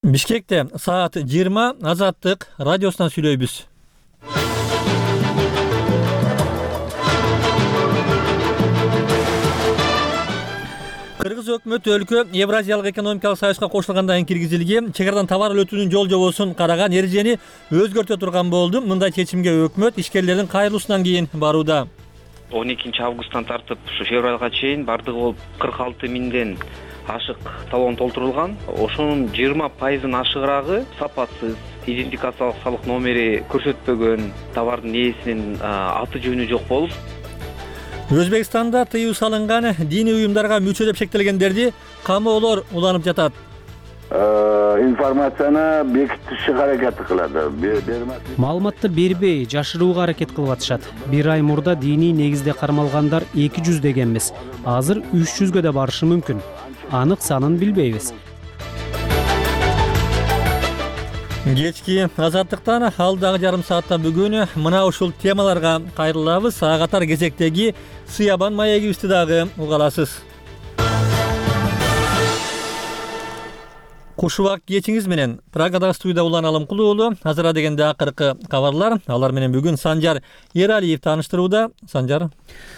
Бишкекте саат 20 Азаттык радиосунан сүйлөйбүз. Кыргыз өкмөтү өлкө Евразиялык экономикалык союзга кошулгандан кийин киргизилген чек арадан товар өтүүнүн жол жобосун караган эрежени өзгөртө турган болду. Мындай чечимге өкмөт ишкерлердин кайрылуусунан кийин барууда. 12 августтан тартып ушу февралга чейин бардыгы болуп 46 миңден ашык талон толтурулган. Ошонун 20% ашыгырагы сапатсыз, идентификациялык салык номери көрсөтпөгөн, товардын ээсинин аты жөнү жок болуп. Өзбекстанда тыюу салынган диний уюмдарга мүчө деп шектелгендерди камоолор уланып жатат. Информацияны бекитишке аракет кылат. Маалыматты бербей, жашырууга аракет кылып атышат. Бир ай мурда диний негизде кармалгандар 200 деген эмес. Азыр 300гө да барышы мүмкүн. Анык санын билбейбиз. Кечки Азаттыктан алдагы жарым саатта бүгүн мына ушул темаларга кайрылабыз. Ага катар кезектеги Сыябан маегибизди дагы уга аласыз. Кушубак кечиңиз менен Прагадагы студияда Улан Алымкулуу уулу. Азыр дегенде акыркы кабарлар. Алар менен бүгүн Санжар Эралиев тааныштырууда. Санжар.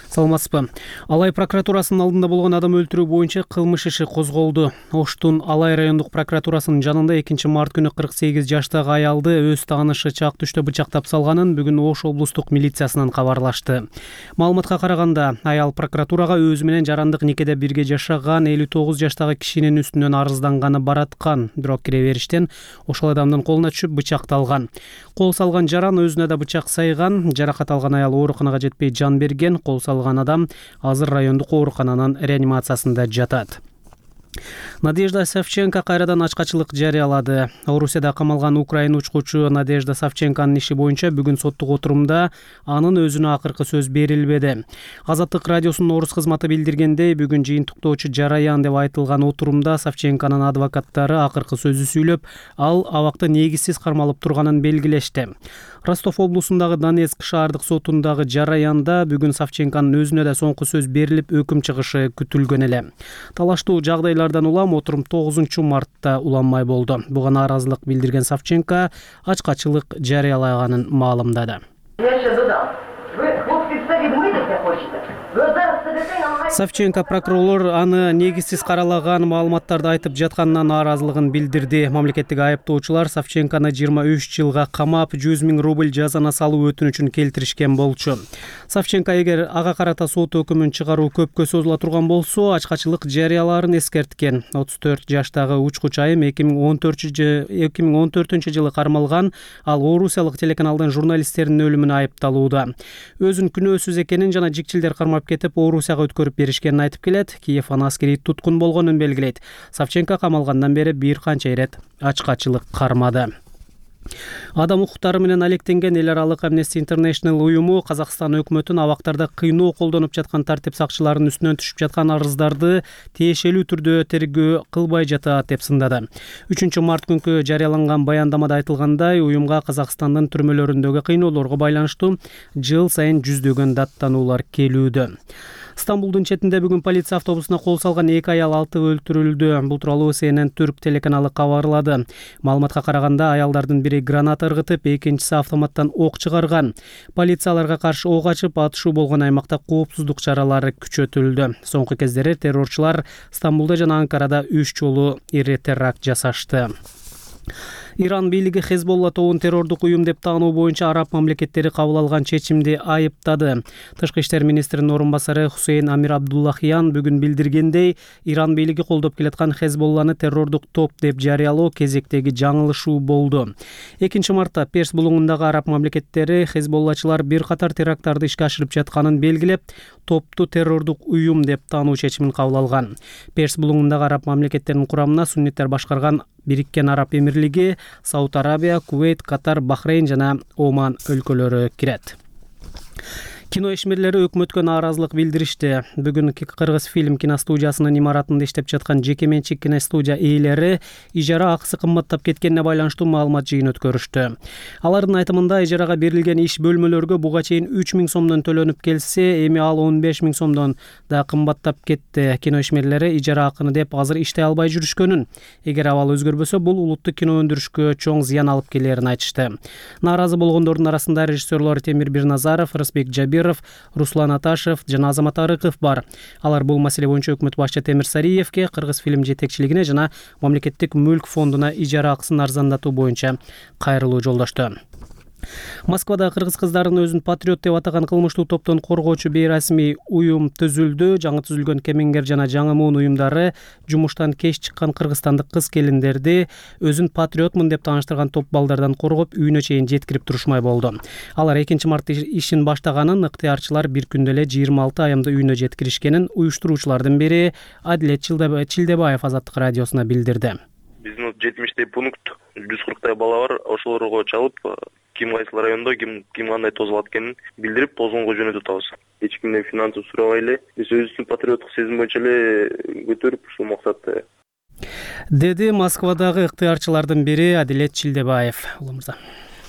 Саламатсызбы? Алай прокуратурасынын алдында болгон адам өлтүрүү боюнча кылмыш иши козголду. Оштун Алай райондук прокуратурасынын жанында 2-март күнү 48 жаштагы аялды өз таанышы чак түштө бычактап салганын бүгүн Ош облустук милициясынан кабарлашты. Маалыматка караганда, аял прокуратурага өзү менен жарандык никеде бирге жашаган 59 жаштагы кишинин үстүнөн арызданганы бараткан. Бирок кире бериштен ошол адамдын колуна түшүп бычакталган. Кол салган жаран өзүнө да бычак сайган. Жаракат алган аял ооруканага жетпей жан берген. Кол салган адам азыр райондук оорукананын реанимациясында жатат. Надежда Савченко кайрадан ачкачылык жарыялады. Орусияда камалган украин учкучу Надежда Савченконун иши боюнча бүгүн соттук отурумда анын өзүнө акыркы сөз берилбеди. Азаттык радиосунун орус кызматы билдиргендей, бүгүн жыйынтыктоочу жараян деп айтылган отурумда Савченконун адвокаттары акыркы сөзү сүйлөп, ал абакта негизсиз кармалып турганын белгилешти. Ростов облусундагы Донецк шаардык сотундагы жараянда бүгүн Савченконун өзүнө да соңку сөз берилип, өкүм чыгышы күтүлгөн эле. Талаштуу жагдайлардан улам отурум 9-мартта уланмай болду. Буга нааразылык билдирген Савченко ачкачылык жарыялаганын маалымдады. Савченко прокурор аны негизсиз каралаган маалыматтарды айтып жатканына нааразылыгын билдирди. Мамлекеттик айыптоочулар Савченкону 23 жылга камап, 100 000 рубль жазана салуу өтүнүчүн келтиришкен болчу. Савченко эгер ага карата сот өкүмүн чыгаруу көпкө созула турган болсо, ачкачылык жарыялаарын эскерткен. 34 жаштагы учкуч айым 2014 жылы кармалган. Ал орусиялык телеканалдын журналисттеринин өлүмүнө айыпталууда. Өзүн күнөөсүз экенин жана жикчилдер кармап кетип, Орусияга өткөрүп беришкенин айтып келет. Киев аны аскерий туткун болгонун белгилейт. Савченко камалгандан бери бир канча ирет ачкачылык кармады. Адам укуктары менен алектенген эл аралык Amnesty International уюму Казакстан өкмөтүн абактарда кыйноо колдонуп жаткан тартип сакчыларынын үстүнөн түшүп жаткан арыздарды тиешелүү түрдө тергөө кылбай жатат деп сындады. 3-март күнкү жарыяланган баяндамада айтылгандай, уюмга Казакстандын түрмөлөрүндөгү кыйноолорго байланыштуу жыл сайын жүздөгөн даттануулар келүүдө. Стамбулдун четинде бүгүн полиция автобусуна кол салган 2 аял 6 өлтүрүлдү. Бул тууралуу CNN Түрк телеканалы кабарлады. Маалыматка караганда, аялдардын бири граната ыргытып, экинчиси автоматтан ок чыгарган. Полицияларга каршы ок ачып, атышуу болгон аймакта коопсуздук чаралары күчөтүлдү. Соңку кездери террорчулар Стамбулда жана Анкарада 3 жолу ири теракт жасашты. Иран бийлиги Хезболла тобун террордук уюм деп таануу боюнча араб мамлекеттери кабыл алган чечимди айыптады. Тышкы иштер министринин орун басары Хусейн Амир Абдуллахиян бүгүн билдиргендей, Иран бийлиги колдоп келаткан Хезболланы террордук топ деп жарыялоо кезектеги жаңылышуу болду. 2-мартта Перс булуңундагы араб мамлекеттери Хезболлачылар бир катар теракттарды ишке ашырып жатканын белгилеп, топту террордук уюм деп таануу чечимин кабыл алган. Перс булуңундагы араб мамлекеттеринин курамына сунниттер башкарган Бириккен Араб Эмирлиги, Сауд Арабия, Кувейт, Катар, Бахрейн жана Оман өлкөлөрү кирет. Кино ишмерлери өкмөткө нааразылык билдиришти. Бүгүн Кыргыз фильм киностудиясынын имаратында иштеп жаткан жеке менчик киностудия ээлери ижара акысы кымбаттап кеткенине байланыштуу маалымат жыйын өткөрүштү. Алардын айтымында ижарага берилген иш бөлмөлөргө буга чейин 3000 сомдон төлөнүп келсе, эми ал 15000 сомдон да кымбаттап кетти. Кино ишмерлери ижара акыны деп азыр иштей албай жүрүшкөнүн, эгер абал өзгөрбөсө бул улуттук кино өндүрүшкө чоң зыян алып келерин айтышты. Нааразы болгондордун арасында режиссерлор Темир Бирназаров, Рысбек Жабиров, Руслан Аташев жана Азамат Арыков бар. Алар бул маселе боюнча өкмөт башчы Темир Сариевке, Кыргыз фильм жетекчилигине жана Мамлекеттик мүлк фондуна ижара акысын арзандатуу боюнча кайрылуу жолдошту. Москвада кыргыз кыздарын өзүн патриот деп атаган кылмыштуу топтон коргоочу бейрасмий уюм түзүлдү. Жаңы түзүлгөн Кемеңгер жана Жаңы Муун уюмдары жумуштан кеч чыккан кыргызстандык кыз-келиндерди өзүн патриотмун деп тааныштырган топ балдардан коргоп, үйүнө чейин жеткирип турушмай болду. Алар 2-мартта ишин баштаганын, ыктыярчылар бир күндө эле 26 аямды үйүнө жеткиришкенин уюштуруучулардын бири Адилет Чилдебаев Азаттык радиосуна билдирди. Биздин 70 пункт, 140 бала бар, ошолорго чалып, ким кайсы райондо ким кандай тозулат экенин билдирип, тозгонго жөнөтүп атабыз. Эч кимден финансы сурабай эле, биз өзүбүздүн патриоттук сезим боюнча эле көтөрүп, ушул максатта, деди Москвадагы ыктыярчылардын бири Адилет Чилдебаев. Улумурза.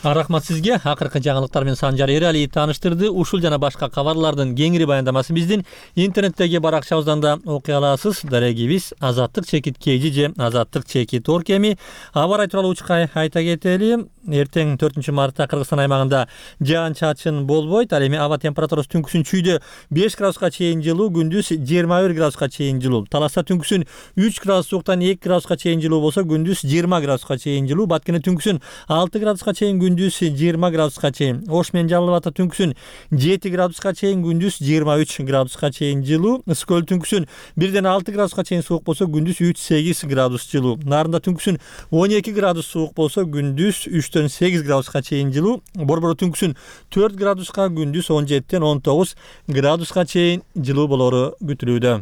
Рахмат сизге. Акыркы жаңылыктар менен Санжар Эралиев тааныштырды. Ушул жана башка кабарлардын кеңири баяндамасын биздин интернеттеги баракчабыздан да окуй аласыз. Дарегибиз Азаттык чекит KG же Азаттык чекит Орг. Эми аба ырайы тууралуу учка айта кетели. Эртең 4-мартта Кыргызстан аймагында жаан-чачын болбойт. Ал эми аба температурасы түнкүсүн чүйдө 5 градуска чейин жылуу, күндүз 21 градуска чейин жылуу. Таласта түнкүсүн 3 градус сууктан 2 градуска чейин жылуу болсо, күндүз 20 градуска чейин жылуу. Баткене түнкүсүн 6 градуска чейин, күндүз 20 градуска чейин. Ош менен Жалал Абадта түнкүсүн 7 градуска чейин, күндүз 23 градуска чейин жылуу. Ысык түнкүсүн 1-6 градуска чейин суук болсо, күндүз 3-8 градус жылуу. Нарында түнкүсүн 12 градус суук болсо, күндүз 3-8 градуска чейин жылуу. Борбордо түнкүсүн 4 градуска, күндүз 17-19 градуска чейин жылуу болору күтүлүүдө.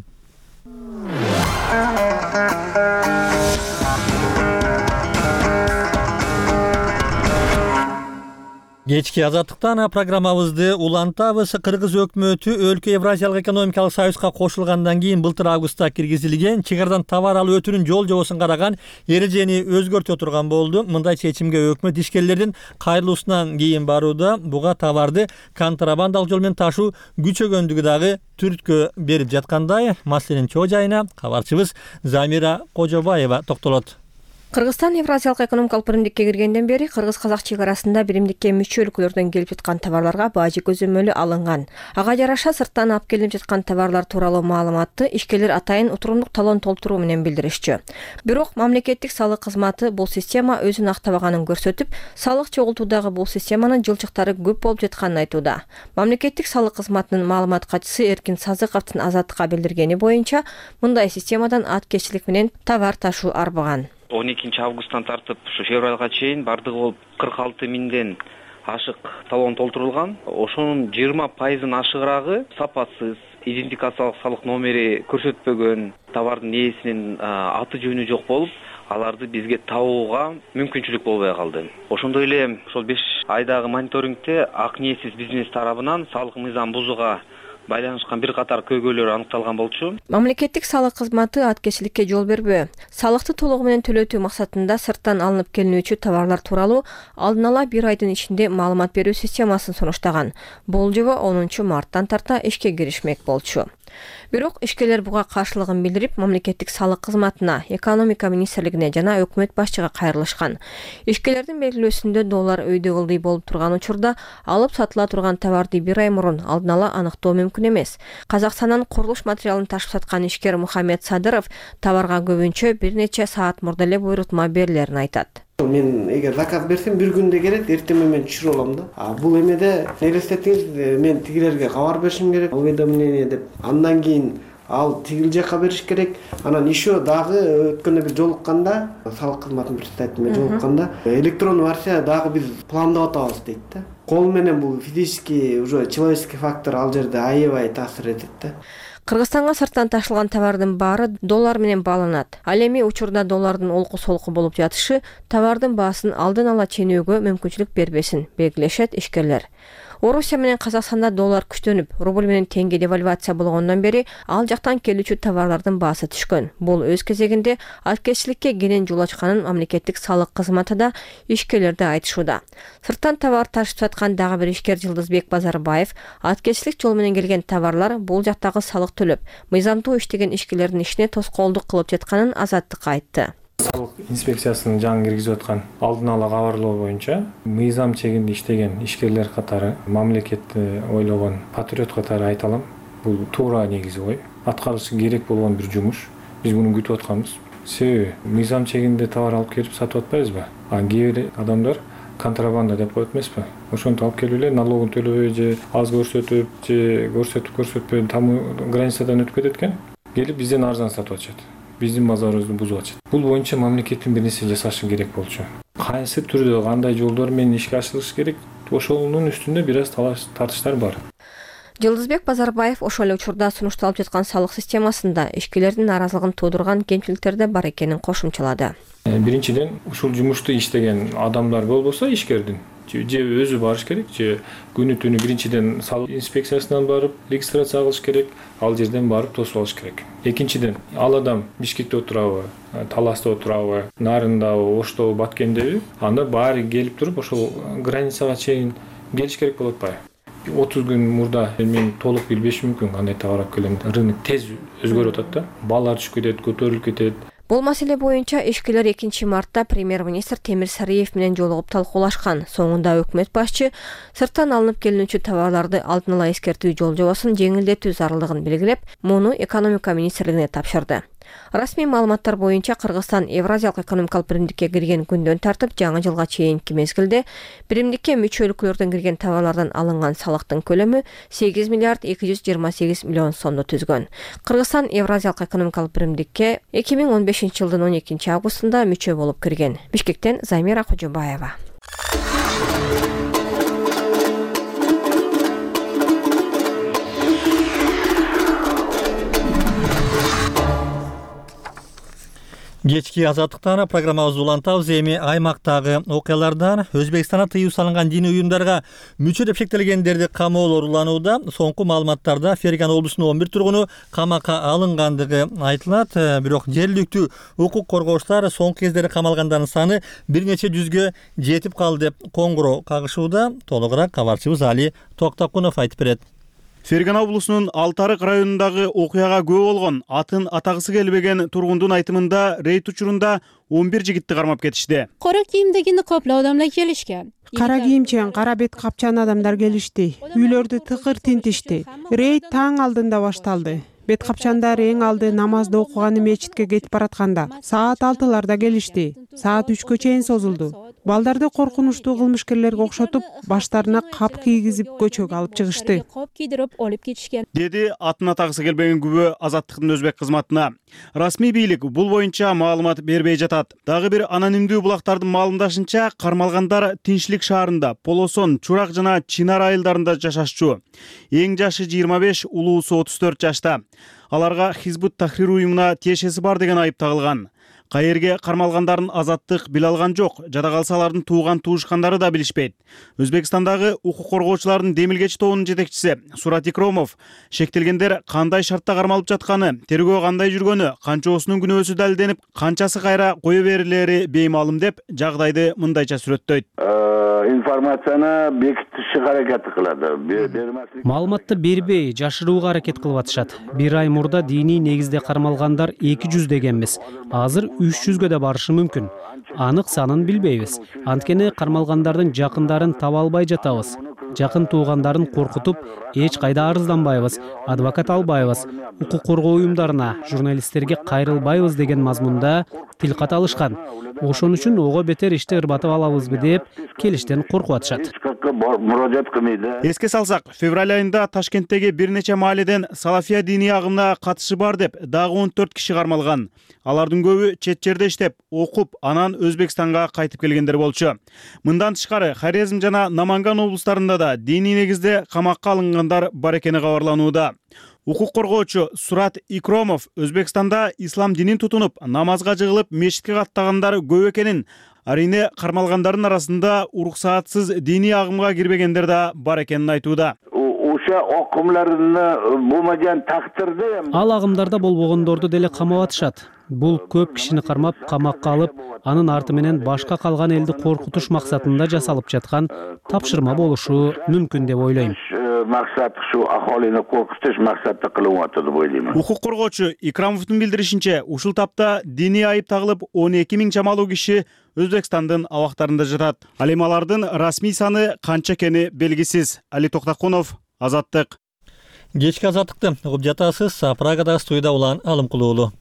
Кечки Азаттыктан программабызды улантабыз. Кыргыз өкмөтү өлкө Евразиялык экономикалык союзга кошулгандан кийин былтыр августта киргизилген чекарадан товар алуу өтүүнүн жол жобосун караган эрежени өзгөртө турган болду. Мындай чечимге өкмөт ишкерлердин кайрылуусунан кийин барууда. Буга товарды контрабандалык жол менен ташуу күчөгөндүгү дагы түрткө берип жаткандай. Маселенин чоо жайына кабарчыбыз Замира Кожобаева токтолот. Кыргызстан Евразиялык экономикалык биримдикке киргенден бери кыргыз-казак чек арасында биримдикке мүчө өлкөлөрдөн келип жаткан товарларга бажы көзөмөлү алынган. Ага жараша сырттан алып келип жаткан товарлар тууралуу маалыматты ишкерлер атайын отурумдук талон толтуруу менен билдиришчү. Бирок мамлекеттик салык кызматы бул система өзүн актабаганын көрсөтүп, салык чогултуудагы бул системанын жылчыктары көп болуп жатканын айтууда. Мамлекеттик салык кызматынын маалымат катчысы Эркин Сазыковдун Азаттыкка билдиргени боюнча, мындай системадан аткечилик менен товар ташуу арбаган. 12 августтан тартып ушу февралга чейин бардыгы болуп 46 миңден ашык талон толтурулган. Ошонун 20% ашыгырагы сапатсыз, идентификациялык салык номери көрсөтпөгөн, товардын ээсинин аты жөнү жок болуп, аларды бизге табууга мүмкүнчүлүк болбой калды. Ошондой эле ошол 5 айдагы мониторингде ак ниетсиз бизнес тарабынан салык мыйзам бузууга байланышкан бир катар көйгөйлөр аныкталган болчу. Мамлекеттик салык кызматы аткечиликке жол бербөө. Салыкты толугу менен төлөтүү максатында сырттан алынып келинүүчү товарлар тууралуу алдын ала 1 айдын ичинде маалымат берүү системасын сунуштаган. Бул жобо 10 марттан тарта ишке киришмек болчу. Бирок ишкерлер буга каршылыгын билдирип, мамлекеттик салык кызматына, экономика министрлигине жана өкмөт башчыга кайрылышкан. Ишкерлердин белгилөөсүндө доллар өйдө ылдый болуп турган учурда алып сатыла турган товарды 1 ай мурун алдын ала аныктоо мүмкүн эмес. Казакстандан курулуш материалын ташып саткан ишкер Мухаммед Садыров товарга көбүнчө бир нече саат мурда эле буйрутма берилерин айтат. Мен эгер заказ берсем бир күндө келет, эртең мен түшүрүп алам да. Бул эмеде элестетиңиз, мен тигилерге кабар беришим керек, уведомление деп. Андан кийин ал тигил жакка бериш керек. Анан еще дагы өткөндө бир жолукканда, салык кызматынын представителине жолукканда, электрондуу версия дагы биз пландап атабыз дейт да. Кол менен бул физический, уже человеческий фактор ал жерде аябай таасир этет да. Кыргызстанга сырттан ташылган товардын баары доллар менен бааланат. Ал эми учурда доллардын олку-солку болуп жатышы товардын баасын алдын ала ченөөгө мүмкүнчүлүк бербесин, белгилешет ишкерлер. Орусия менен Казакстанда доллар күчтөнүп, рубль менен теңге девальвация болгондон бери ал жактан келүүчү товарлардын баасы түшкөн. Бул өз кезегинде аткечиликке кенен жол ачканын мамлекеттик салык кызматы да ишкерлерде айтышууда. Сырттан товар ташып саткан дагы бир ишкер Жылдызбек Базарбаев аткечилик жол менен келген товарлар бул жактагы салык төлөп, мыйзамдуу иштеген ишкерлердин ишине тоскоолдук кылып жатканын Азаттыкка айтты. Салык инспекциясынын жаңы киргизип аткан алдын ала кабарлоо боюнча мыйзам чегинде иштеген ишкерлер катары, мамлекетти ойлогон патриот катары айта алам. Бул туура негизи ой. Аткарылышы керек болгон бир жумуш. Биз муну күтүп атканбыз. Себеби мыйзам чегинде товар алып келип сатып атпайбызбы? Кээ бир адамдар контрабанда деп коет эмеспи? Ошонтип алып келип эле налогун төлөбөй же аз көрсөтүп, же көрсөтпөй там границадан өтүп кетет экен. Келип бизден арзан сатып атышат. Биздин базарыбызды бузуп атышат. Бул боюнча мамлекеттин бир нерсе жасашы керек болчу. Кайсы түрдө, кандай жолдор менен ишке ашырылышы керек, ошонун үстүндө бир аз тартыштар бар. Жылдызбек Базарбаев ошол эле учурда сунушталып жаткан салык системасында ишкерлердин наразылыгын туудурган кемчиликтер да бар экенин кошумчалады. Биринчиден, ушул жумушту иштеген адамдар болбосо ишкердин же өзү барыш керек, же күнү түнү биринчиден салык инспекциясынан барып регистрация кылыш керек, ал жерден барып тосуп алыш керек. Экинчиден, ал адам Бишкекте отурабы, Таласта отурабы, Нарындабы, Оштобу, Баткендеби, анда баары келип туруп ошол границага чейин келиш керек болуп атпайбы? 30 күн мурда мен толук билбеш мүмкүн кандай товар алып келем. Рынок тез өзгөрүп атат да. Баалар түшүп кетет, көтөрүлүп кетет. Бул маселе боюнча ишкерлер 2-мартта премьер-министр Темир Сариев менен жолугуп талкуулашкан. Соңунда өкмөт башчы сырттан алынып келүүчү товарларды алдын ала эскертүү жол-жобосун жеңилдетүү зарылдыгын белгилеп, муну экономика министрлигине тапшырды. Расмий маалыматтар боюнча Кыргызстан Евразиялык экономикалык биримдикке кирген күндөн тартып жаңы жылга чейинки мезгилде биримдикке мүчө өлкөлөрдөн кирген товарлардан алынган салыктын көлөмү 8 миллиард 228 миллион сомду түзгөн. Кыргызстан Евразиялык экономикалык биримдикке 2015 жылдын 12 августунда мүчө болуп кирген. Бишкектен Замира Кожобаева. Кечки азаттыктан программабызды улантабыз. Эми аймактагы окуялардан Өзбекстанда тыюу салынган диний уюмдарга мүчө деп шектелгендерди камоолор уланууда. Соңку маалыматтарда Ферган облусунун 11 тургуну камакка алынгандыгы айтылат. Бирок жергиликтүү укук коргоочулар соңку кездери камалгандардын саны бир нече жүзгө жетип калды деп коңгуроо кагышууда. Толугураак кабарчыбыз Али Токтакунов айтып берет. Ферган облусунун Алтарык районундагы окуяга күбө болгон атын атагысы келбеген тургундун айтымында рейд учурунда 11 жигитти кармап кетишти. Кара кийимдеги никоплуу адамдар келишкен. Кара кийимчен, кара бет капчан адамдар келишти. Үйлөрдү тыкыр тинтишти. Рейд таң алдында башталды. Бет капчандар эң алды намазды окуганы мечитке кетип баратканда саат 6-ларда келишти. Саат 3-кө чейин созулду. Балдарды коркунучтуу кылмышкерлерге окшотуп, баштарына кап кийгизип көчөгө алып чыгышты. Кап кийдирип алып кетишкен. Деди атын атагысы келбеген күбө азаттыктын өзбек кызматына. Расмий бийлик бул боюнча маалымат бербей жатат. Дагы бир анонимдүү булактардын маалымдашынча, кармалгандар Тинчлик шаарында, Полосон, Чурак жана Чинар айылдарында жашашчу. Эң жашы 25, улуусу 34 жашта. Аларга Хизбут Тахрир уюмуна тиешеси бар деген айып тагылган. Каерге кармалгандарын азаттык биле алган жок. Жада калса алардын тууган туушкандары да билишпейт. Өзбекстандагы укук коргоочулардын демилгеч тобунун жетекчиси Сурат Икромов шектелгендер кандай шартта кармалып жатканы, тергөө кандай жүргөнү, канчоосунун күнөөсү далилденип, канчасы кайра кое берилери беймаалым деп жагдайды мындайча сүрөттөйт. Информацияны бекитишке аракет кылат. Маалыматты бербей, жашырууга аракет кылып атышат. Бир ай мурда диний негизде кармалгандар 200 дегенбиз. Азыр 300гө да барышы мүмкүн. Анык санын билбейбиз. Анткени кармалгандардын жакындарын таба албай жатабыз. Жакын туугандарын коркутуп, эч кайда арызданбайбыз, адвокат албайбыз, укук коргоо уюмдарына, журналисттерге кайрылбайбыз деген мазмунда тил ката алышкан. Ошон үчүн ого бетер ишти ырбатып алабызбы деп келиштен коркуп атышат. Эске салсак, февраль айында Ташкенттеги бир нече мааледен салафия диний агымына катышы бар деп дагы 14 киши кармалган. Алардын көбү чет жерде иштеп, окуп, анан Өзбекстанга кайтып келгендер болчу. Мындан тышкары Хорезм жана Наманган облустарында да диний негизде камакка алынгандар бар экени кабарланууда. Укук коргоочу Сурат Икромов Өзбекстанда ислам динин тутунуп, намазга жыгылып, мечитке каттагандар көп экенин, арийне кармалгандардын арасында уруксаатсыз диний агымга кирбегендер да бар экенин айтууда. Ошо окумларыны булмаган тактырда ал агымдарда болбогондорду деле камап атышат. Бул көп кишини кармап, камакка алып, анын арты менен башка калган элди коркутуш максатында жасалып жаткан тапшырма болушу мүмкүн деп ойлойм. Максат ушу ахолини коркутуш максатта кылып атат деп ойлойм. Укук коргоочу Икрамовдун билдиришинче, ушул тапта диний айып тагылып 12 000 чамалуу киши Өзбекстандын абактарында жатат. Ал эми алардын расмий саны канча экени белгисиз. Али Токтакунов, Азаттык. Кечки азаттыкты угуп жатасыз. Прагадагы студияда Улан Алымкулуу уулу.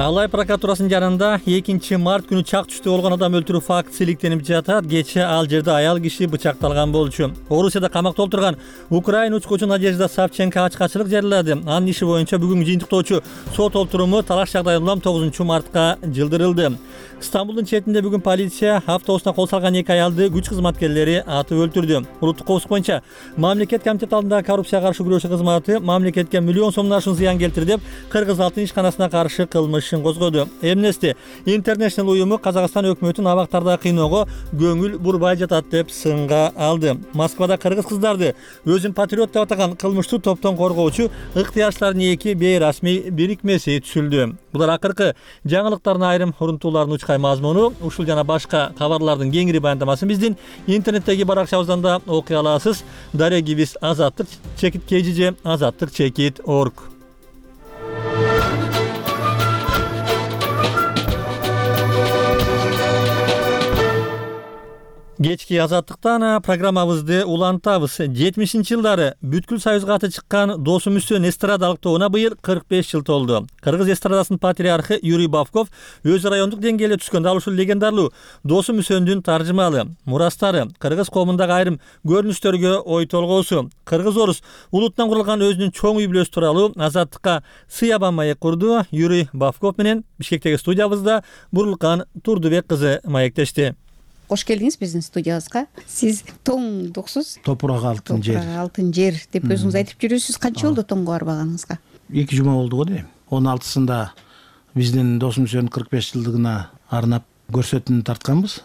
Алай прокуратурасынын жанында 2 март күнү чак түштө болгон адам өлтүрүү фактысы иликтенип жатат. Кечээ ал жерде аял киши бычакталган болчу. Орусияда камакта отурган Украин учкучу Надежда Савченко ачкачылык жарыялады. Анын иши боюнча бүгүнкү жыйынтыктоочу сот олтуруму талаш жагдайы улам 9 мартка жылдырылды. Стамбулдун четинде бүгүн полиция автобусуна кол салган 2 аялды күч кызматкерлери атып өлтүрдү. Улуттук коопсуздук боюнча мамлекет комитети алдындагы коррупцияга каршы күрөшүү кызматы мамлекетке миллион сомдон ашуун зыян келтирди деп Кыргыз алтын ишканасына каршы кылмышын козгоду. Amnesty International уюму Казакстан өкмөтүн абактарда кыйноого көңүл бурбай жатат деп сынга алды. Москвада кыргыз кыздарды өзүн патриот деп атаган кылмыштуу топтон коргоочу ыктыярчылардын 2 бейрасмий бирикмеси түзүлдү. Булар акыркы жаңылыктардын айрым урунтууларын учкай мазмуну, ушул жана башка кабарлардын кеңири баяндамасын биздин интернеттеги баракчабыздан да окуй аласыз. Дарья Гибис, Азаттык чекит KGJ, Азаттык чекит org. Кечки азаттыктан программабызды улантабыз. 70-жылдары бүткүл союзга аты чыккан Досум Үсөн эстрадалык тобуна быйыл 45 жыл толду. Кыргыз эстрадасынын патриархы Юрий Бавков өз райондук деңгээлде түшкөн дал ушул легендарлуу Досум Үсөндүн таржымалы мурастары, кыргыз коомундагы айрым көрүнүштөргө ой толгоосу, кыргыз-орус улутунан курулган өзүнүн чоң үй бүлөсү тууралуу азаттыкка сыябан маек курду. Юрий Бавков менен Бишкектеги студиябызда Бурулкан Турдубек кызы маектешти. Кош келдиңиз биздин студиябызга. Сиз тоңдуксуз. Топурак алтын жер. Топурак алтын жер деп өзүңүз айтып жүрөсүз. Канча болду тоңго барбаганыңызга? 2 жума болду го дейм. 16-сында биздин Досум Үсөн 45 жылдыгына арнап көрсөтүүнү тартканбыз.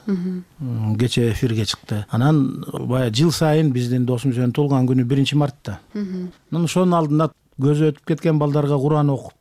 Кече эфирге чыкты. Анан бая жыл сайын биздин Досум Үсөн туулган күнү 1-мартта. Анан ошонун алдында көзү өтүп кеткен балдарга Куран окуп,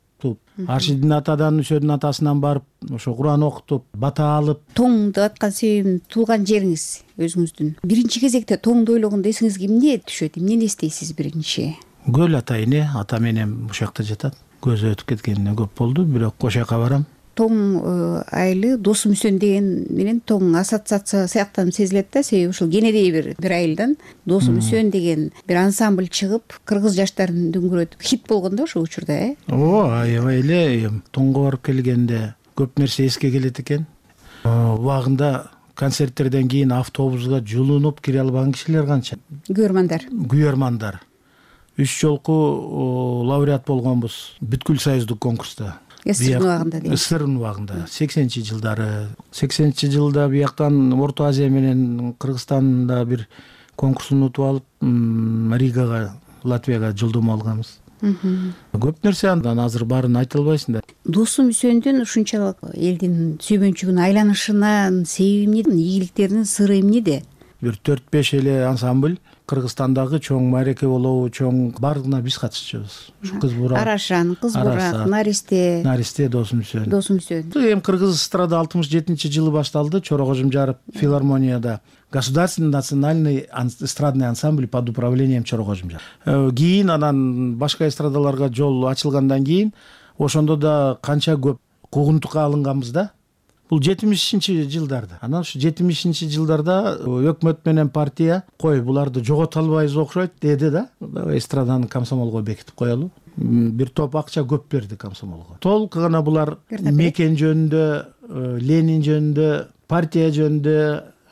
Аршидин атадан Үсөдүн атасынан барып, ошо Куран окутуп, бата алып. Тоң деп аткан себебин туулган жериңиз өзүңүздүн. Биринчи кезекте тоңду ойлогондо эсиңизге эмне түшөт? Эмнени эстейсиз биринчи? Көл ата эне, ата менен ушул жакта жатат. Көзү өтүп кеткенине көп болду, бирок ошол жака барам. Тоң айылы Досум Үсөн деген менен тоң ассоциация сыяктанып сезилет да, себеби ушул кенедей бир айылдан Досум Үсөн деген бир ансамбль чыгып, кыргыз жаштарын дүңгүрөтүп хит болгон да ошол учурда, аябай эле. Тоңго барып келгенде көп нерсе эске келет экен. Убагында концерттерден кийин автобуска жулунуп кире албаган кишилер канча? Күйөрмандар. 3 жолку лауреат болгонбуз бүткүл союздук конкурста. СССР убагында дейм. СССР убагында 80-жылдары. 80-жылда бияктан Орто Азия менен Кыргызстанда бир конкурстун утуп алып, Ригага, Латвияга жолдомо алганбыз. Көп нерсе андан азыр баарын айта албайсың да. Досум Үсөндүн ушунчалык элдин сүйбөнчүгүн айланышынын себеби эмне? Ийгиликтеринин сыры эмнеде? Бир 4-5 эле ансамбль Кыргызстандагы чоң маареке болобу, чоң бардыгына биз катышчубуз. Кыз бурак, Арашан, Кыз бурак, Наристе, Досум Үсөн. Эми Кыргыз эстрада 67-жылы башталды. Чора Кожумжаров филармонияда Государственный национальный эстрадный ансамбль под управлением Чора Кожумжаров. Кийин анан башка эстрадаларга жол ачылгандан кийин ошондо да канча көп куугунтукка алынганбыз да. Бул 70-жылдарда. Анан ушу 70-жылдарда өкмөт менен партия кой буларды жогото албайбыз окшойт деди да. Эстраданы комсомолго бекитип коелу. Бир топ акча көп берди комсомолго. Толук гана булар мекен жөнүндө, Ленин жөнүндө, партия жөнүндө,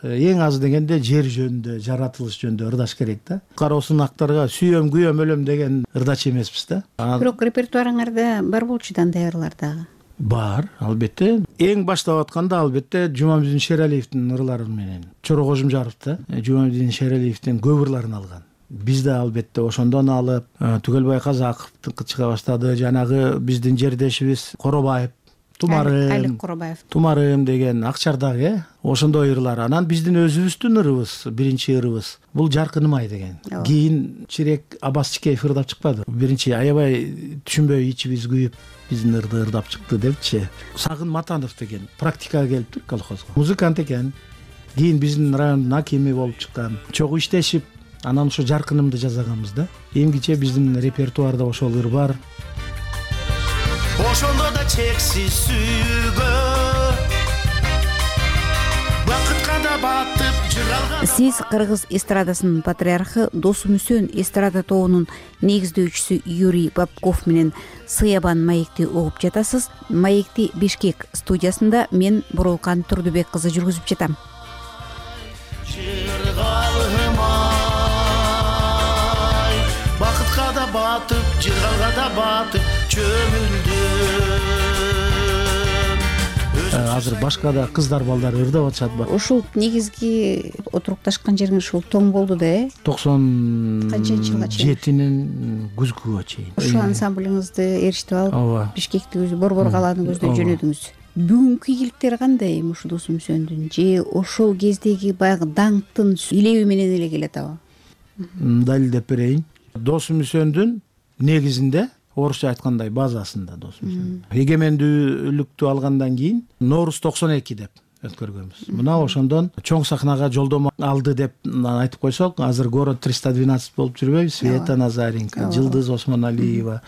эң аз дегенде жер жөнүндө, жаратылыш жөнүндө ырдаш керек да. Кароосун актарга сүйөм, күйөм, өлөм деген ырдач эмеспиз да. Бирок репертуарыңарда бар болчу да андайлар дагы. Бар, албетте. Эң баштап атканда албетте Жумамедин Шералиевдин ырлары менен Чора Кожумжаров да Жумамедин Шералиевдин көп ырларын алган. Биз да албетте ошондон алып, Түгөлбай Казаковдун чыга баштады. Жанагы биздин жердешибиз Коробаев, Айлык Коробаев. Тумарым деген Акчардагы ошондой ырлар. Анан биздин өзүбүздүн ырыбыз, биринчи ырыбыз бул Жаркыным ай деген. Кийин Чирек Аббас Чикеев ырдап чыкпады. Биринчи аябай түшүнбөй ичибиз күйүп биздин ырды ырдап чыкты депчи. Сагын Матанов деген практикага келиптир колхозго. Музыкант экен. Кийин биздин райондун акими болуп чыккан. Чогуу иштешип, анан ошо Жаркынымды жасаганбыз да. Эмгиче биздин репертуарда ошол ыр бар. Ошондо да чексиз сүйгө бакытка да батып жыралган. Сиз кыргыз эстрадасынын патриархы Досмүсөн эстрада тобунун негиздөөчүсү Юрий Бабков менен Сыябан маекти угуп жатасыз. Маекти Бишкек студиясында мен Бурулкан Турдубек кызы жүргүзүп жатам. Бакытка да батып, жыргалга да батып чөмүлдүм. Азыр башка да кыздар балдар ырдап атышат. Ушул негизги отурукташкан жериңиз ушул тоң болду да, 97-нин күзгүгө чейин. Ушул ансамблиңизди эриштип алып, Бишкекти Борбор калааны көздөй жөнөдүңүз. Бүгүнкү ийгиликтери кандай ушу Досмүсөндүн же ошол кездеги баягы даңктын илеби менен эле келатабы? Далилдеп берейин. Досмүсөндүн негизинде орусча айткандай базасында Досмүсөн. Эгемендүүлүктү алгандан кийин Нооруз 92 деп өткөргөнбүз. Мына ошондон чоң сахнага жолдомо алды деп айтып койсок, азыр город 312 болуп жүрбөйбү? Света Назаренко, Жылдыз Осмоналиева,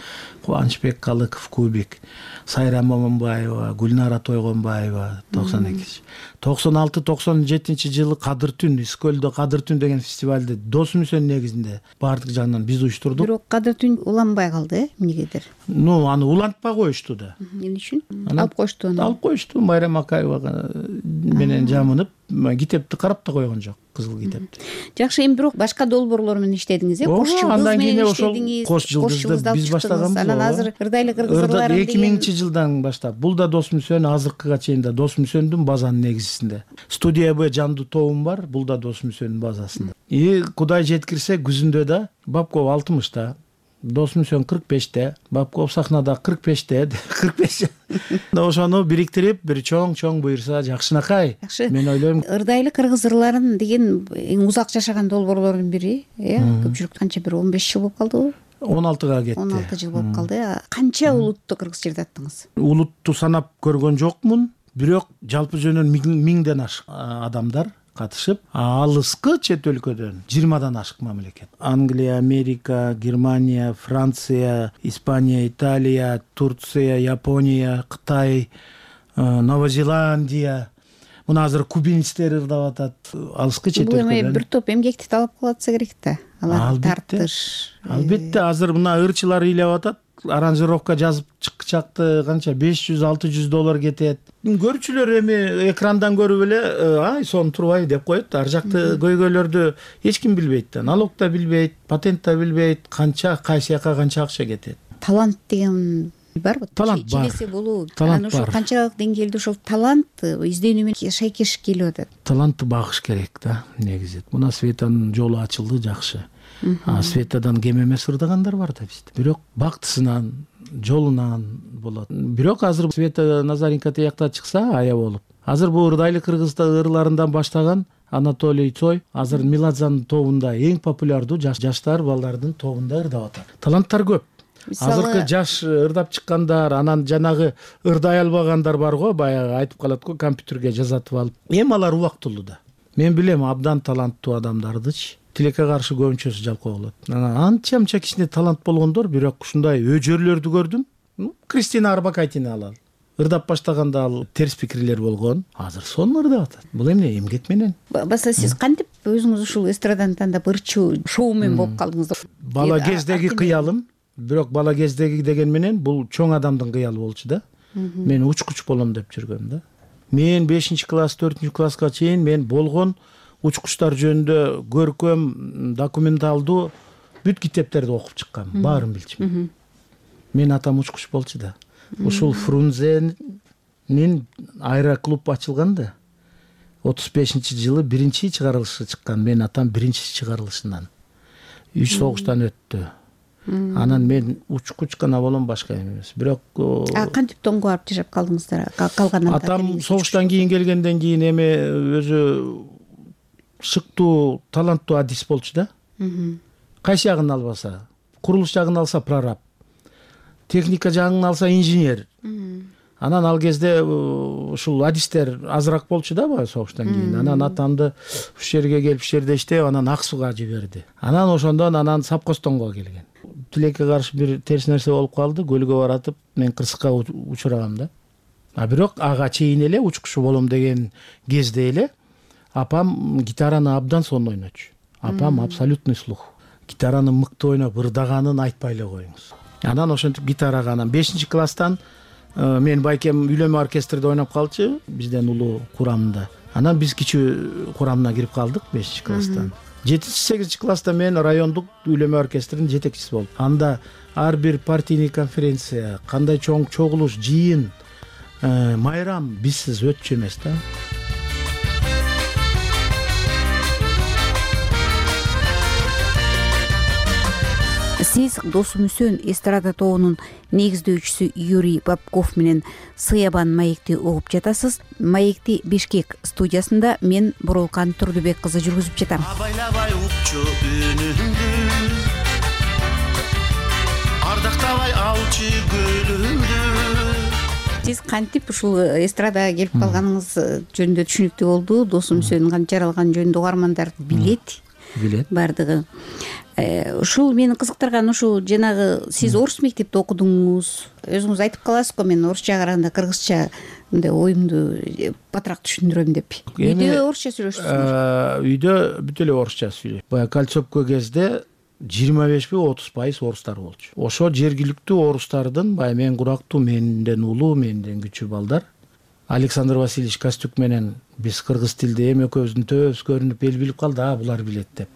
Кубанычбек Калыков Кубик, Сайра Момунбаева, Гүлнара Тойгонбаева 92. 96-97 жылы Кадыр түн, Искөлдө Кадыр түн деген фестивалды Досмүсөн негизинде баардык жагынан биз уюштурдук. Бирок Кадыр түн уланбай калды, эмнегедир? Аны улантпай коюшту да. Эмне үчүн? Алып коюшту аны. Алып коюшту. Майрам Акаевага менен жамынып, китепти карап да койгон жок, кызыл китепти. Жакшы, эми бирок башка долбоорлор менен иштедиңиз, Кош Жылдыз менен иштедиңиз. Кош Жылдызды биз баштаганбыз. Анан азыр Ырдайлы кыргыз ырларын 2000-жылдан баштап. Бул да Досмүсөн, азыркыга чейин да Досмүсөндүн базанын негизинде. Студия Б жандуу тобум бар, бул да Досмүсөндүн базасында. Кудай жеткирсе күзүндө да Бабков 60-та, Досмүсөн 45-те, Бабков сахнада 45-те, 45. Ошону бириктирип, бир чоң буйрса жакшынакай. Мен ойлойм, Ырдайлы кыргыз ырларын деген эң узак жашаган долбоорлордун бири, көпчүлүк канча бир 15 жыл болуп калдыбы? 16га кетти. 16 жыл болуп калды. Канча улутту кыргыз жерде аттыңыз? Улутту санап көргөн жокмун, бирок жалпы жөнүн 1000ден ашык адамдар катышып, алыскы чет өлкөдөн 20дан ашык мамлекет. Англия, Америка, Германия, Франция, Испания, Италия, Турция, Япония, Кытай, Новая Зеландия. Мына азыр кубинецтер ырдап атат. Алыскы чет өлкөдөн. Бул эми бир топ эмгекти талап кылатса керек да. Аларды тартыш. Албетте, азыр мына ырчылар ыйлап атат. Аранжировка жазып чыкчакты канча $500-600 кетет. Көрүүчүлөр эми экрандан көрүп эле ай сон турбай деп коет. Ар жакты көйгөйлөрдү эч ким билбейт да. Налог да билбейт, патент да билбейт, канча кайсы жака канча акча кетет. Талант деген барбы? Талант бар. Желеси болуу. Анан ошол канчалык деңгээлде ошол талант изденүү менен шайкеш келип атат. Талантты багыш керек да, негизи. Мына Светанын жолу ачылды жакшы. Светадан кем эмес ырдагандар бар да бизде. Бирок бактысынан, жолунан болот. Бирок азыр Света Назаренко тиякта чыкса ая болуп. Азыр бул Ырдайлы кыргызда ырларынан баштаган Анатолий Цой азыр Меладзанын тобунда эң популярдуу жаштар балдардын тобунда ырдап атат. Таланттар көп. Азыркы жаш ырдап чыккандар, анан жанагы ырдай албагандар бар го, баягы айтып калат го, компьютерге жазатып алып. Эми алар убактылуу да. Мен билем абдан таланттуу адамдардычы. Тилекке каршы көбүнчөсү жалкоо болот. Анча кичине талант болгондор, бирок ушундай өжөрлөрдү көрдүм. Кристина Арбакайтины алалы. Ырдап баштаганда ал терс пикирлер болгон. Азыр сонун ырдап атат. Бул эмне эмгек менен. Баса сиз кантип өзүңүз ушул эстраданы тандап ырчуу шоумен болуп калдыңыз? Бала кездеги кыялым, бирок бала кездеги деген менен бул чоң адамдын кыялы болчу да. Мен учкуч болом деп жүргөм да. Мен 5-класс, 4-класска чейин мен болгон учкучтар жөнүндө көркөм, документалдуу бүт китептерди окуп чыккам, баарын билчүмүн. Мен атам учкуч болчу да. ушул Фрунзенин аэроклуб ачылганда 35-жылы биринчи чыгарылышы чыккан. Мен атам биринчи чыгарылышынан. 3 согуштан өттү. Анан мен учкуч гана болом, башка эмес. Бирок кантип тоңго барып жашап калдыңыздар? Калган атам согуштан кийин келгенден кийин эми өзү шыктуу, таланттуу адис болчу да. Кайсы жагын албаса, курулуш жагын алса прораб, техника жагын алса инженер. Анан ал кезде ушул адистер азыраак болчу да баягы согуштан кийин. Анан атамды ушул жерге келип ушул жерде иштеп, анан ак сууга жиберди. Анан ошондон Сапкостонго келген. Тилекке каршы бир терс нерсе болуп калды, көлгө баратып мен кырсыкка учурагам да. Бирок ага чейин эле учкуч болом деген кезде эле апам гитараны абдан сонун ойночу. Апам абсолютный слух. Гитараны мыкты ойноп, ырдаганын айтпай эле коюңуз. Анан ошентип гитарага 5-класстан мен байкем үйлөнмө оркестрде ойноп калчу, бизден улуу курамында. Анан биз кичүү курамына кирип калдык 5-класстан. 7-8 класста мен райондук үйлөнмө оркестринин жетекчиси болдум. Анда ар бир партийный конференция, кандай чоң чогулуш, жыйын, майрам бизсиз өтчү эмес да. Сиз Досум Үсөн эстрада тобунун негиздөөчүсү Юрий Бабков менен Сыябан маекти угуп жатасыз. Маекти Бишкек студиясында мен Бурулкан Турдубек кызы жүргүзүп жатам. Абайлабай укчу үнүңдү, ардактабай алчы көлүңдү. Сиз кантип ушул эстрадага келип калганыңыз жөнүндө түшүнүктүү болду. Досум Үсөнүн кантип жаралганы жөнүндө угармандар билет. Бардыгы. Ушул мени кызыктырган ушул жанагы сиз орус мектепте окудуңуз. Өзүңүз айтып каласызго, мен орусча караганда кыргызча мындай оюмду батыраак түшүндүрөм деп. Үйдө орусча сүйлөшөсүзбү? Үйдө бүт эле орусча сүйлөйт. Баягы Кольцовко кезде 25-30% орустар болчу. Ошо жергиликтүү орустардын баягы мен курактуу, менден улуу, менден күчүү балдар. Александр Васильевич Костюк менен биз кыргыз тилде эми экөөбүздүн төбөбүз көрүнүп эл билип калды, булар билет деп.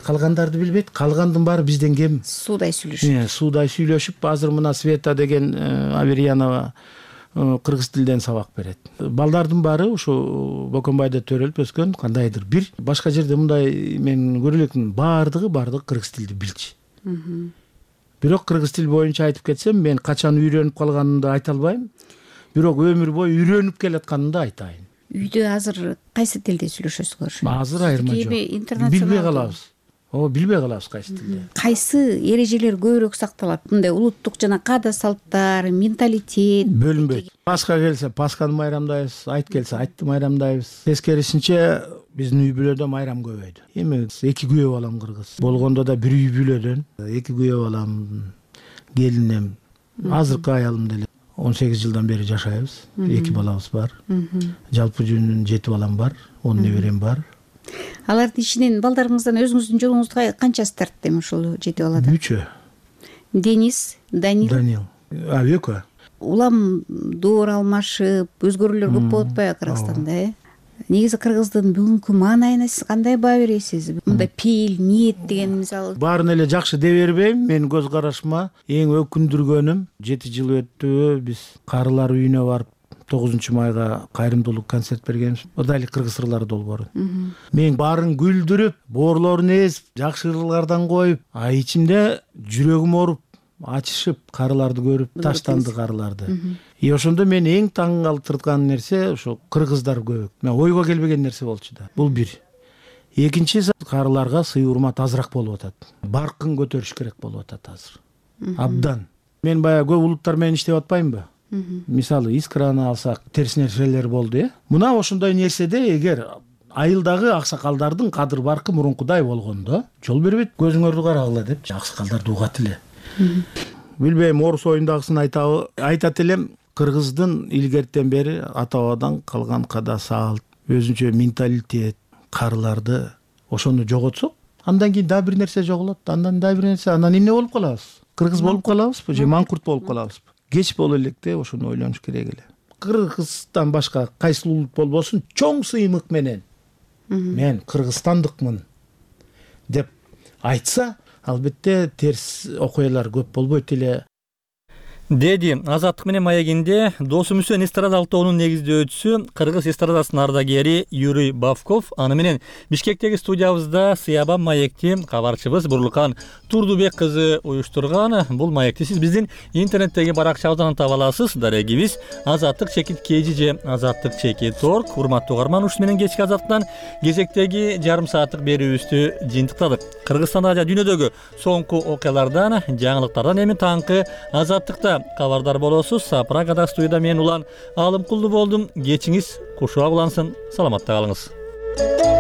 Калгандарды билбейт, калгандын баары бизден кем. Суудай сүйлөшүп. Суудай сүйлөшүп, азыр мына Света деген Аверьянова кыргыз тилден сабак берет. Балдардын баары ушу Бокомбайда төрөлүп өскөн, кандайдыр бир башка жерде мындай мен көрө элекмин, баардыгы кыргыз тилди билчү. Бирок кыргыз тил боюнча айтып кетсем, мен качан үйрөнүп калганымды айта албайм. Бирок өмүр бою үйрөнүп келатканымды айтайын. Үйдө азыр кайсы тилде сүйлөшөсүздөр? Азыр айырма жок. Билбей калабыз. Билбей калабыз кайсы тилде. Кайсы эрежелер көбүрөөк сакталат? Мындай улуттук жана каада салттар, менталитет бөлүнбөйт. Пасха келсе Пасханы майрамдайбыз, айт келсе айтты майрамдайбыз. Тескерисинче биздин үй бүлөдө майрам көбөйдү. Эми 2 күйөө балам кыргыз. Болгондо да бир үй бүлөдөн 2 күйөө балам, келинем, азыркы аялым деле 18 жылдан бери жашайбыз. 2 балабыз бар. Жалпы жөнүнөн 7 балам бар, 10 неберем бар. Алардын ичинен балдарыңыздан өзүңүздүн жолуңузду канчасы тартты эми ушул 7 баладан? 3. Денис, Данил. Экөө. Улам доор алмашып, өзгөрүүлөр көп болуп атпайбы Кыргызстанда, Негизи кыргыздын бүгүнкү маанайына сиз кандай баа бересиз? Мындай пейил, ниет деген мисалы. Баарын эле жакшы дей бербейм. Мен көз карашыма эң өкүндүргөнүм 7 жыл өттү, биз карылар үйүнө барып 9 майга кайрымдуулук концерт бергенбиз. О да эле кыргыз ырлары долбоору. Мен баарын гүлдүрүп, боорлорун эзип, жакшы ырлардан коюп, ичимде жүрөгүм ооруп, ачышып, карыларды көрүп, таштанды карыларды. Ошондо мен эң таң калтырган нерсе ошо кыргыздар көбөк. Мен ойго келбеген нерсе болчу да. Бул бир. Экинчиси, карыларга сый урмат азыраак болуп атат. Баркын көтөрүш керек болуп атат азыр. Абдан. Мен баягы көп улуттар менен иштеп атпаймынбы? Мисалы, Искраны алсак, терс нерселер болду, Мына ошондой нерседе эгер айылдагы аксакалдардын кадыр баркы мурункудай болгондо, жол бербейт, көзүңөрдү карагыла деп аксакалдарды угат эле. Билбейм, орус оюндагысын айтат элем, кыргыздын илгертен бери ата-бабадан калган када салт, өзүнчө менталитет, карыларды ошону жоготсок, андан кийин дагы бир нерсе жоголот, андан дагы бир нерсе, анан эмне болуп калабыз? Кыргыз болуп калабызбы же маңкурт болуп калабызбы? Кеч боло электе ошону ойлонуш керек эле. Кыргыздан башка кайсы улут болбосун чоң сыймык менен мен кыргызстандыкмын деп айтса, албетте терс окуялар көп болбойт эле. деди Азаттык менен маегинде досум Үсөн эстрадалык тобунун негиздөөчүсү кыргыз эстрадасынын ардагери Юрий Бавков. Аны менен Бишкектеги студиябызда Сыябан маекти кабарчыбыз Бурлукан Турдубек кызы уюштурган. Бул маекти сиз биздин интернеттеги баракчабыздан таба аласыз. Дарегибиз Азаттык чекит кежи же Азаттык чекит орг. Урматтуу угарман, ушу менен кечки Азаттыктан кезектеги жарым сааттык берүүбүздү жыйынтыктадык. Кыргызстанда жана дүйнөдөгү соңку окуялардан, жаңылыктардан эми таңкы Азаттыкта кабардар болосуз. Прагада студияда мен Улан Алымкулду болдум. Кечиңиз кушуа улансын. Саламатта калыңыз.